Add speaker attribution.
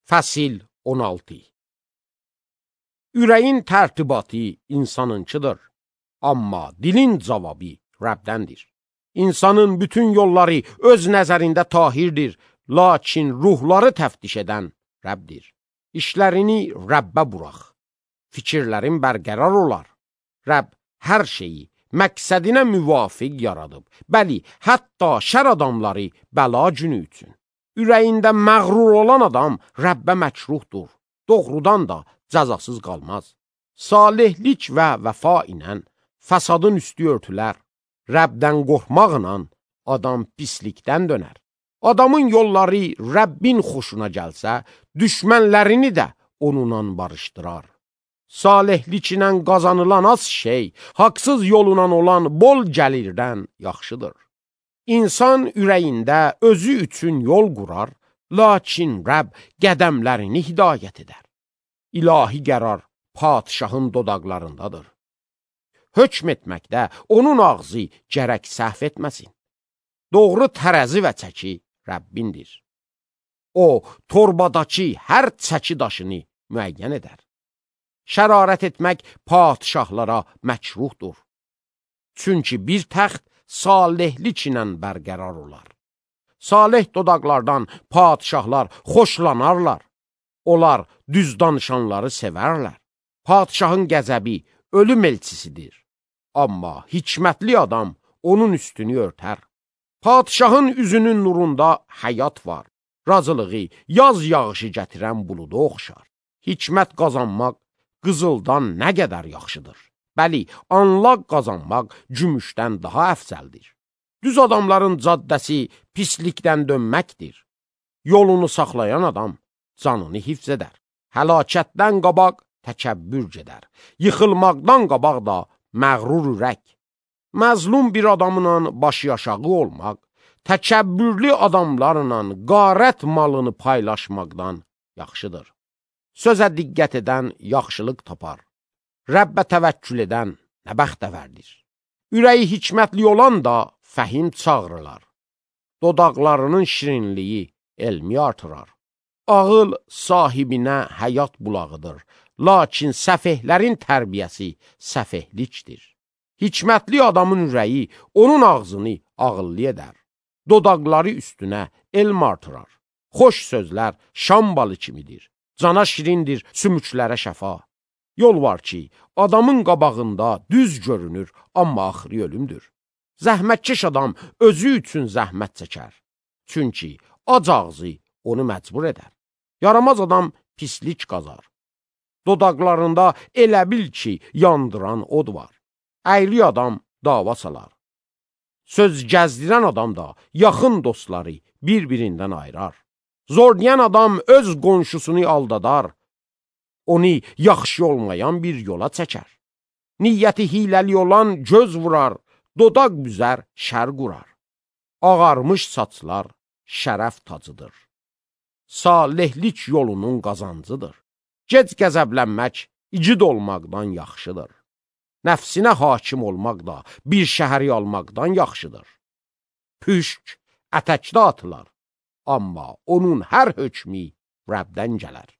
Speaker 1: Fəsil 16. Ürəyin tərtibatı insanınkidir, amma dilin cavabı Rəbdəndir. İnsanın bütün yolları öz nəzərində tahirdir, lakin ruhları təftiş edən Rəbdir. İşlərini Rəbbə burax, fikirlərin bərqərar olar. Rəbb hər şeyi məqsədinə müvafiq yaradıb, bəli, hətta şər adamları bəla günü üçün. Ürəyində məğrur olan adam Rəbbə məkruhdur, doğrudan da cəzasız qalmaz. Salihlik və vəfa ilə fəsadın üstü örtülər, Rəbdən qorxmaqla adam pislikdən dönər. Adamın yolları Rəbbin xoşuna gəlsə, düşmənlərini də onunla barışdırar. Salihlik ilə qazanılan az şey, haqsız yolundan olan bol gəlirdən yaxşıdır. İnsan ürəyində özü üçün yol qurar, lakin Rəbb qədəmlərini hidayət edər. İlahi qərar padişahın dodaqlarındadır. Hökm etməkdə onun ağzı gərək səhv etməsin. Doğru tərəzi və çəki Rəbbindir. O, torbadakı hər çəki daşını müəyyən edər. Şərarət etmək padişahlara məkruhdur. Çünki bir təxt salihlik ilə bərqərar olar. Salih dodaqlardan padişahlar xoşlanarlar. Onlar düz danışanları sevərlər. Padişahın qəzəbi ölüm elçisidir. Amma hikmətli adam onun üstünü örtər. Padişahın üzünün nurunda həyat var. Razılığı yaz yağışı gətirən buluda oxşar. Hikmət qazanmaq qızıldan nə qədər yaxşıdır. Bəli, anlaq qazanmaq gümüşdən daha əfsəldir. Düz adamların caddəsi pislikdən dönməkdir. Yolunu saxlayan adam canını hifz edər. Həlakətdən qabaq təkəbbür gedər. Yıxılmaqdan qabaq da məğrur ürək. Məzlum bir adamla başı aşağı olmaq, təkəbbürlü adamlarla qarət malını paylaşmaqdan yaxşıdır. Sözə diqqət edən yaxşılıq tapar. Rəbbə təvəkkül edən nə bəxtəvərdir. Ürəyi hikmətli olan da fəhim çağırırlar. Dodaqlarının şirinliyi elmi artırar. Ağıl sahibinə həyat bulağıdır, lakin səfehlərin tərbiyəsi səfehlikdir. Hikmətli adamın ürəyi onun ağzını ağıllı edər. Dodaqları üstünə elm artırar. Xoş sözlər şam balı kimidir. Cana şirindir, sümüklərə şəfa. Yol var ki, adamın qabağında düz görünür, amma axırı ölümdür. Zəhmətkeş adam özü üçün zəhmət çəkər. Çünki ac ağzı onu məcbur edər. Yaramaz adam pislik qazar. Dodaqlarında elə bil ki, yandıran od var. Əyri adam dava salar. Söz gəzdirən adam da yaxın dostları bir-birindən ayırar. Zorlayan adam öz qonşusunu aldadar. Onu yaxşı olmayan bir yola çəkər. Niyyəti hiləli olan göz vurar, dodaq büzər, şər qurar. Ağarmış saçlar şərəf tacıdır. Salihlik yolunun qazancıdır. Gec qəzəblənmək igid olmaqdan yaxşıdır. Nəfsinə hakim olmaq da bir şəhəri almaqdan yaxşıdır. Püşk ətəkdə atılar, amma onun hər hökmü Rəbdən gələr.